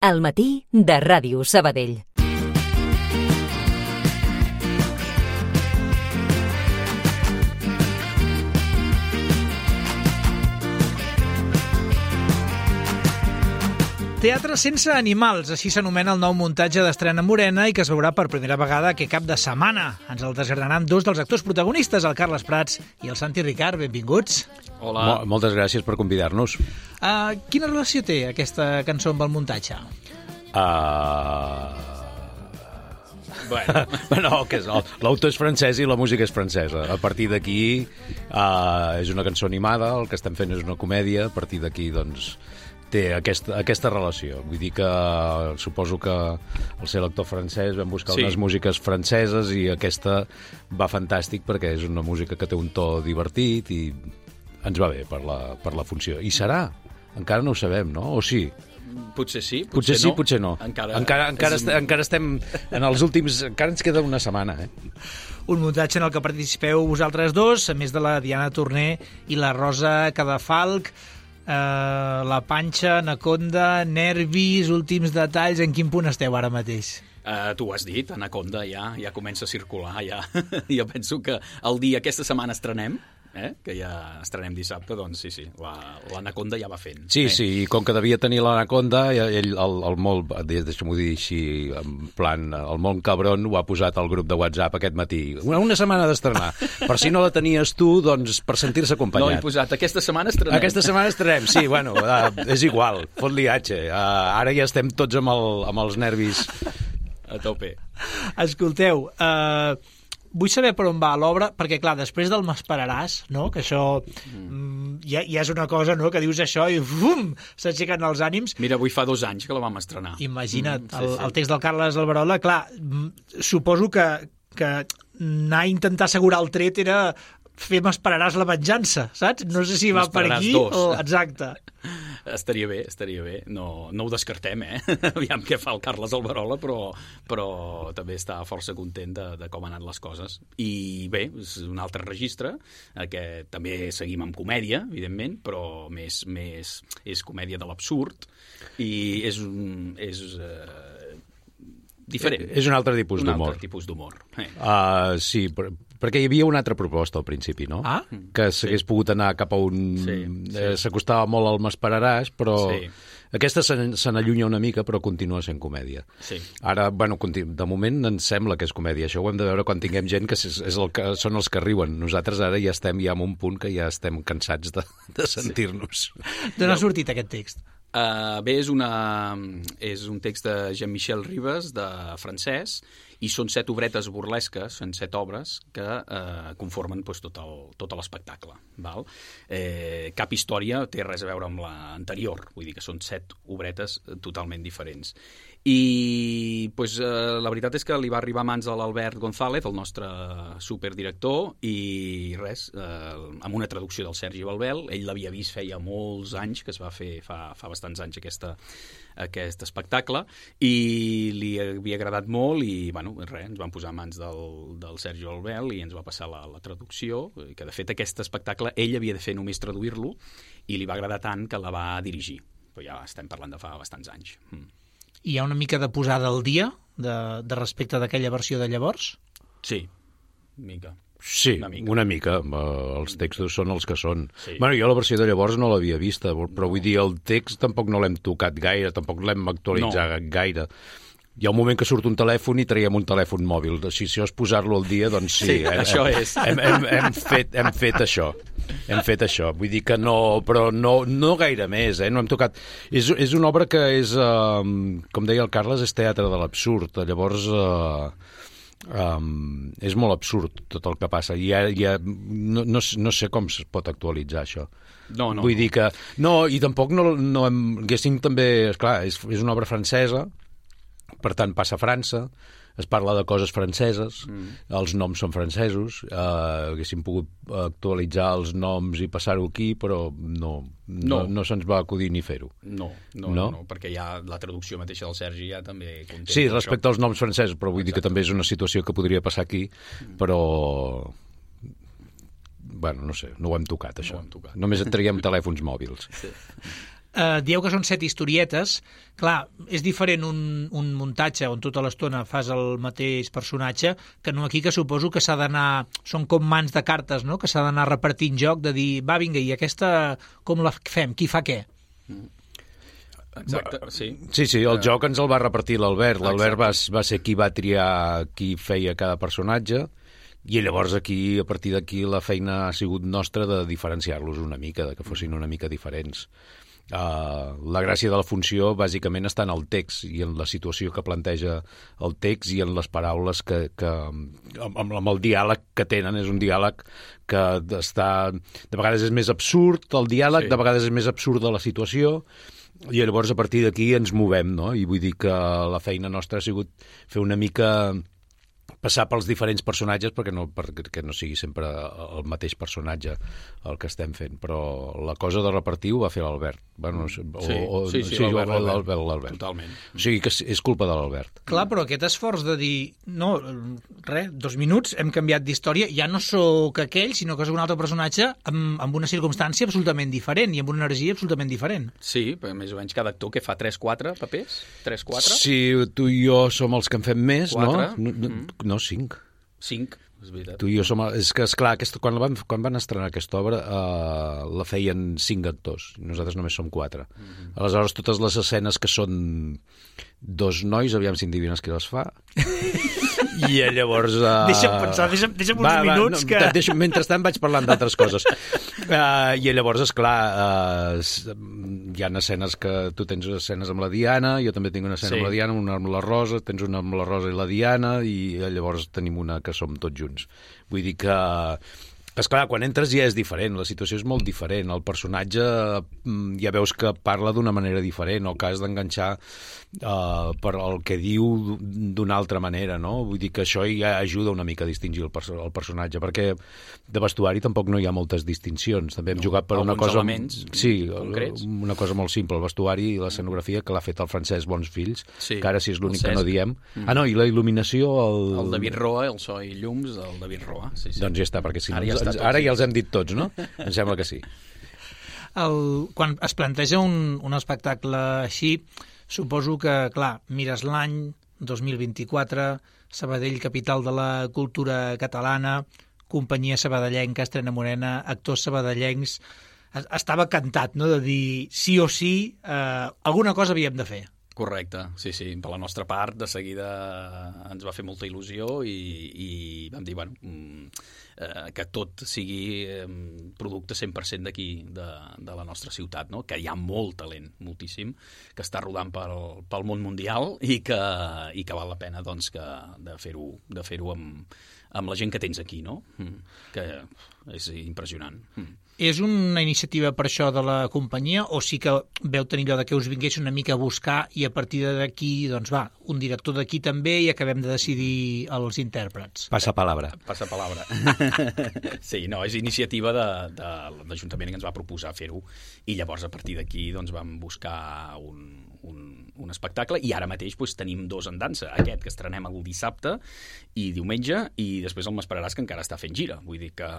Al matí de Ràdio Sabadell. Teatre sense animals, així s'anomena el nou muntatge d'Estrena Morena i que es veurà per primera vegada aquest cap de setmana. Ens el desgranaran dos dels actors protagonistes, el Carles Prats i el Santi Ricard. Benvinguts. Hola. Moltes gràcies per convidar-nos. Quina relació té aquesta cançó amb el muntatge? Bueno, no, que és l'autor és francès i la música és francesa. A partir d'aquí és una cançó animada, el que estem fent és una comèdia, a partir d'aquí doncs té aquesta relació. Vull dir que suposo que al ser l'actor francès vam buscar unes músiques franceses i aquesta va fantàstic perquè és una música que té un to divertit i ens va bé per la funció. I serà? Encara no ho sabem, no? O sí? Potser sí, potser no. Encara estem en els últims... Encara ens queda una setmana, Un muntatge en el que participeu vosaltres dos, a més de la Diana Torner i la Rosa Cadafalch. La Panxa, Anaconda, Nervis, últims detalls, en quin punt esteu ara mateix? Tu ho has dit, Anaconda ja comença a circular, ja. Jo penso que el dia, aquesta setmana estrenem, que ja estrenem dissabte, doncs sí, l'Anaconda ja va fent. Sí, i com que devia tenir l'Anaconda, ell, el molt, deixa'm-ho dir així, en plan, el molt cabron ho ha posat al grup de WhatsApp aquest matí. Una setmana d'estrenar. Per si no la tenies tu, doncs per sentir-se acompanyat. No, he posat, aquesta setmana estrenem. Aquesta setmana estrenem, sí, bueno, és igual, fot-li atxe. Ara ja estem tots amb els nervis a tope. Escolteu, vull saber per on va l'obra, perquè, clar, després del M'esperaràs, no?, que això ja és una cosa, no?, que dius això i bum, s'aixequen els ànims. Mira, avui fa 2 anys que la vam estrenar. Imagina't, el text del Carles Alberola, clar, suposo que anar a intentar assegurar el tret era fer M'esperaràs la venjança, saps? No sé si va per aquí o... Exacte. Estaria bé. No ho descartem, Aviam què fa el Carles Alberola, però també està força content de com han anat les coses. I bé, és un altre registre, que també seguim amb comèdia, evidentment, però més és comèdia de l'absurd i és diferent. És un altre tipus d'humor. Un altre tipus d'humor. Sí, perquè hi havia una altra proposta al principi, no? Que s'hagués pogut anar cap a un... S'acostava molt al M'esperaràs, però aquesta se n'allunya una mica, però continua sent comèdia. Ara, bueno, de moment ens sembla que és comèdia. Això ho hem de veure quan tinguem gent que són els que riuen. Nosaltres ara ja estem en un punt que ja estem cansats de sentir-nos. D'on ha sortit aquest text? Bé, és un text de Jean-Michel Ribes, de francès, i són 7 obretes burlesques, són 7 obres que conformen tot l'espectacle. Cap història té res a veure amb l'anterior, vull dir que són 7 obretes totalment diferents. I la veritat és que li va arribar a mans a l'Albert González, el nostre superdirector, i res, amb una traducció del Sergi Balbel. Ell l'havia vist feia molts anys, que es va fer fa bastants anys aquest espectacle, i li havia agradat molt i ens vam posar a mans del Sergi Balbel i ens va passar la traducció, que de fet aquest espectacle ell havia de fer només traduir-lo i li va agradar tant que la va dirigir, però ja estem parlant de fa bastants anys. Hi ha una mica de posada al dia de respecte d'aquella versió de llavors? Sí, mica. Sí, una mica. Els textos són els que són. Bueno, jo la versió de llavors no l'havia vista, però vull dir, el text tampoc no l'hem tocat gaire, tampoc l'hem actualitzat gaire. Hi ha un moment que surt un telèfon i traiem un telèfon mòbil. Si això és posar-lo al dia, doncs sí. Això és. Hem fet això. Vull dir que no, però no gaire més, no hem tocat... És una obra que és, com deia el Carles, és teatre de l'absurd. Llavors... és molt absurd tot el que passa i no sé com es pot actualitzar això. Vull dir que i tampoc no haguéssim també, esclar, és una obra francesa, per tant passa a França, es parla de coses franceses, els noms són francesos, haguéssim pogut actualitzar els noms i passar-ho aquí, però no se'ns va acudir ni fer-ho. No, perquè ja la traducció mateixa del Sergi ja també conté... Sí, respecte als noms francesos, però vull dir que també és una situació que podria passar aquí, però... Bueno, no sé, no ho hem tocat, això. Només et traiem telèfons mòbils. Dieu que són 7 historietes. Clar, és diferent un muntatge on tota l'estona fas el mateix personatge que no aquí, que suposo que s'ha d'anar... Són com mans de cartes, no?, que s'ha d'anar repartint joc, de dir, va, vinga, i aquesta com la fem? Qui fa què? Exacte, sí. Sí, el joc ens el va repartir l'Albert. L'Albert va ser qui va triar qui feia cada personatge, i llavors aquí, a partir d'aquí, la feina ha sigut nostra de diferenciar-los una mica, de que fossin una mica diferents. La gràcia de la funció bàsicament està en el text i en la situació que planteja el text i en les paraules que amb el diàleg que tenen. És un diàleg que està... De vegades és més absurd el diàleg, de vegades és més absurda la situació, i llavors a partir d'aquí ens movem, no? I vull dir que la feina nostra ha sigut fer una mica... passar pels diferents personatges perquè no sigui sempre el mateix personatge el que estem fent, però la cosa de repartir ho va fer l'Albert. Bueno, l'Albert. Totalment. O sigui que és culpa de l'Albert. Clar, però aquest esforç de dir, no, res, 2 minuts, hem canviat d'història, ja no sóc aquell, sinó que és un altre personatge amb una circumstància absolutament diferent i amb una energia absolutament diferent. Sí, però més o menys cada actor que fa 3-4 papers? 3-4? Sí, tu i jo som els que en fem més, 4? No, 5. 5, és veritat. Tu i jo som... És que, esclar, quan van estrenar aquesta obra la feien 5 actors. Nosaltres només som 4. Aleshores, totes les escenes que són 2 nois, aviam si endivines qui les fa. I llavors... Deixa'm pensar, deixa'm uns minuts que... Mentrestant vaig parlant d'altres coses. I llavors, esclar, hi ha escenes que... Tu tens escenes amb la Diana, jo també tinc una escena amb la Diana, una amb la Rosa, tens una amb la Rosa i la Diana, i llavors tenim una que som tots junts. Vull dir que... Esclar, quan entres ja és diferent, la situació és molt diferent, el personatge ja veus que parla d'una manera diferent o que has d'enganxar per el que diu d'una altra manera, no? Vull dir que això ja ajuda una mica a distingir el personatge, perquè de vestuari tampoc no hi ha moltes distincions. També hem jugat per una cosa... concrets. Una cosa molt simple, el vestuari i l'escenografia que l'ha fet el Francesc Bonsfills, que ara sí és l'únic que no diem. No, i la il·luminació... El David Roa, el so i llums, el David Roa. Sí. Doncs ja està, perquè si ara ja els hem dit tots, no? Em sembla que sí. Quan es planteja un espectacle així, suposo que, clar, mires l'any 2024, Sabadell, capital de la cultura catalana, companyia sabadellenca, Estrena Morena, actors sabadellencs... Estava cantat, no?, de dir sí o sí, alguna cosa havíem de fer. Correcte, sí. Per la nostra part, de seguida ens va fer molta il·lusió i vam dir, bueno, que tot sigui producte 100% d'aquí, de la nostra ciutat, no? Que hi ha molt talent, moltíssim, que està rodant pel món mundial i que val la pena, doncs, de fer-ho amb la gent que tens aquí, no? Que és impressionant. És una iniciativa per això de la companyia o sí que veu tenir allò de que us vingués una mica a buscar i a partir d'aquí, doncs va, un director d'aquí també i acabem de decidir els intèrprets? Passa palabra. Sí, no, és iniciativa de l'Ajuntament que ens va proposar fer-ho i llavors a partir d'aquí doncs vam buscar un espectacle i ara mateix doncs, tenim 2 en dansa, aquest que estrenem el dissabte i diumenge i després el M'esperaràs que encara està fent gira, vull dir que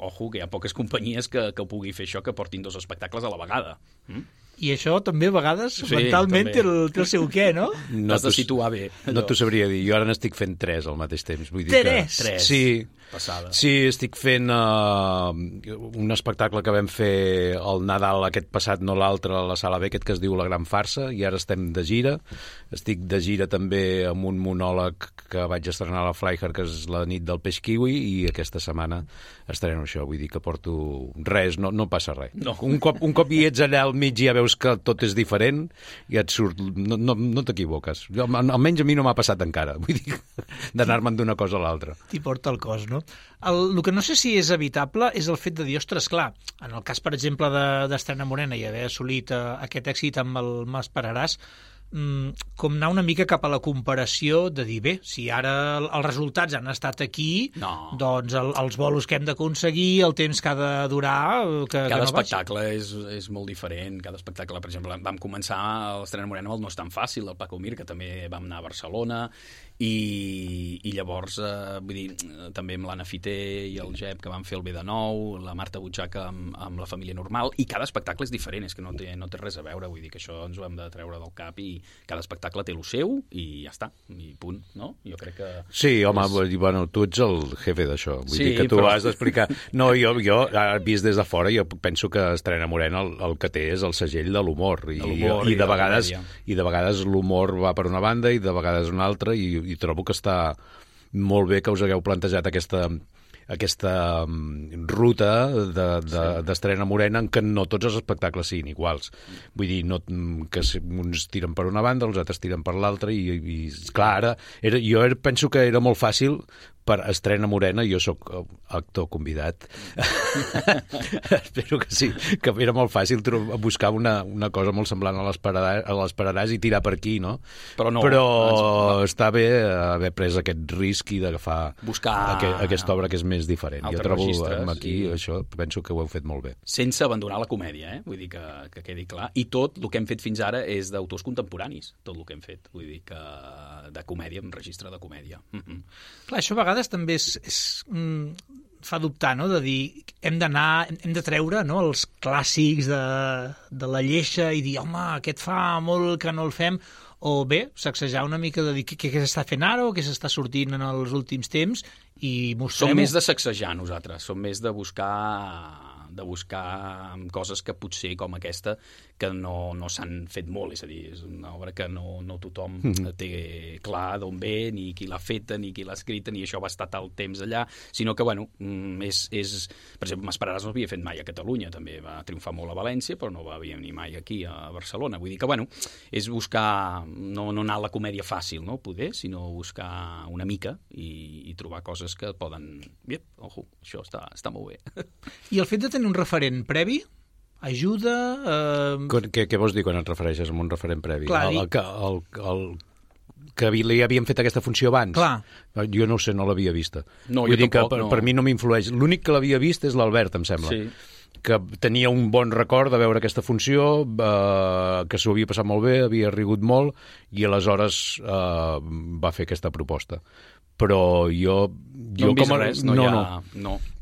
ojo, que hi ha poques companyies que pugui fer això, que portin 2 espectacles a la vegada. I això també a vegades mentalment té el seu què, no? T'has de situar bé. No t'ho sabria dir, jo ara n'estic fent 3 al mateix temps. Vull dir 3? Que... Sí. Passada. Sí, estic fent un espectacle que vam fer el Nadal aquest passat, no l'altre, a la Sala B, aquest que es diu La Gran Farsa, i ara estem de gira. Estic de gira també amb un monòleg que vaig estrenar a la Flyher, que és La nit del peix kiwi, i aquesta setmana estreno això, vull dir que porto res, no passa res. No. Un cop hi ets allà al mig i ja veus que tot és diferent i et surt... No t'equivoques. Almenys a mi no m'ha passat encara, vull dir, d'anar-me'n d'una cosa a l'altra. T'hi porta el cos, no? El que no sé si és evitable és el fet de dir, ostres, clar, en el cas, per exemple, d'Estrena Morena i haver assolit aquest èxit amb el M'esperaràs, com anar una mica cap a la comparació de dir, bé, si ara els resultats han estat aquí, doncs els bolos que hem d'aconseguir, el temps que ha de durar, que cada no espectacle és molt diferent. Cada espectacle, per exemple, vam començar a l'Estrena Morena amb el No és tan fàcil, del Paco Mir, que també vam anar a Barcelona, i llavors, vull dir, també amb l'Anna Fité i el Jep, que van fer el Bé de Nou, la Marta Butxaca amb La família normal, i cada espectacle és diferent, és que no té res a veure, vull dir que això ens ho hem de treure del cap, i cada espectacle té el seu, i ja està, i punt, no? Jo crec que... Sí, home, bueno, tu ets el jefe d'això, vull dir que tu has d'explicar... No, jo, vist des de fora, jo penso que Estrena Morena el que té és el segell de l'humor, i de vegades l'humor va per una banda i de vegades una altra, i trobo que està molt bé que us hagueu plantejat aquesta ruta d'Estrena Morena en què no tots els espectacles siguin iguals. Vull dir, que uns tiren per una banda, els altres tiren per l'altra, i clar, jo penso que era molt fàcil per Estrena Morena, jo sóc actor convidat. Espero que sí, que era molt fàcil buscar una cosa molt semblant a l'Esperaràs i tirar per aquí, no? Però està bé haver pres aquest risc i d'agafar aquesta obra que és més diferent. Jo trobo aquí, això, penso que ho heu fet molt bé. Sense abandonar la comèdia, vull dir que quedi clar. I tot el que hem fet fins ara és d'autors contemporanis, tot el que hem fet. Vull dir que de comèdia, en registre de comèdia. Clar, això a vegades també fa dubtar, no?, de dir hem de treure, no?, els clàssics de la lleixa i dir, home, aquest fa molt que no el fem, o bé, sacsejar una mica de dir què s'està fent ara o què s'està sortint en els últims temps i mostrem-ho. Som més de sacsejar nosaltres, som més de buscar coses que potser com aquesta que no s'han fet molt, és a dir, és una obra que no tothom té clar d'on ve, ni qui l'ha feta, ni qui l'ha escrita, ni això va estar tal temps allà, sinó que, bueno, per exemple, M'esperaràs no havia fet mai a Catalunya, també va triomfar molt a València, però no va venir mai aquí a Barcelona. Vull dir que, bueno, és buscar, no anar a la comèdia fàcil, no?, poder, sinó buscar una mica i trobar coses que poden... Bé, ojo, això està molt bé. I el fet de tenir un referent previ ajuda... Què vols dir quan et refereixes a un referent previ? Clar, que li havien fet aquesta funció abans? Clar. Jo no ho sé, no l'havia vista. No, vull dir tampoc, que per mi no m'influeix. L'únic que l'havia vist és l'Albert, em sembla. Sí. Que tenia un bon record de veure aquesta funció, que s'ho havia passat molt bé, havia rigut molt, i aleshores va fer aquesta proposta. Però jo no hem vist res,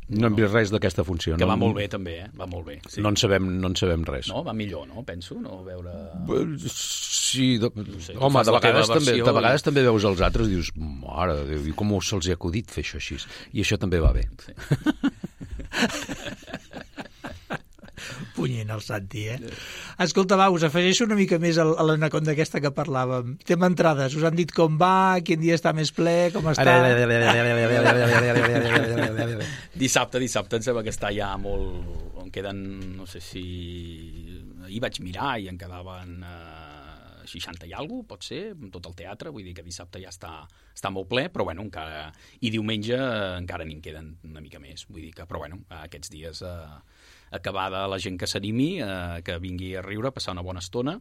no hem vist res d'aquesta funció. Que va molt bé, també, va molt bé. Sí. No en sabem res. No, va millor, no? Penso, no veure... Sí, no sé, home, de vegades també veus els altres i dius, mare de Déu, i com se'ls ha acudit fer això així? I això també va bé. Sí. Punyent el Santi, Escolta, va, us afegeixo una mica més a l'anaconda aquesta que parlàvem. Tema entrades, us han dit com va, quin dia està més ple, com està... Dissabte em sembla que està ja molt... En queden, no sé si... Ahir vaig mirar i en quedaven 60 i alguna cosa, pot ser, amb tot el teatre, vull dir que dissabte ja està molt ple, però bueno, encara... I diumenge encara n'hi queden una mica més, vull dir que, però bueno, aquests dies... acabada la gent que s'animi, que vingui a riure, a passar una bona estona,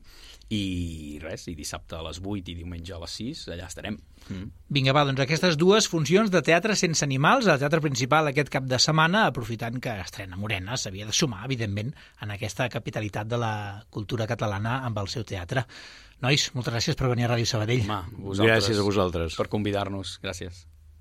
i res, i dissabte a les 8 i diumenge a les 6, allà estarem. Vinga, va, doncs aquestes dues funcions de teatre sense animals, al Teatre Principal aquest cap de setmana, aprofitant que Estrena Morena s'havia de sumar, evidentment, en aquesta capitalitat de la cultura catalana amb el seu teatre. Nois, moltes gràcies per venir a Ràdio Sabadell. Gràcies a vosaltres. Per convidar-nos, gràcies.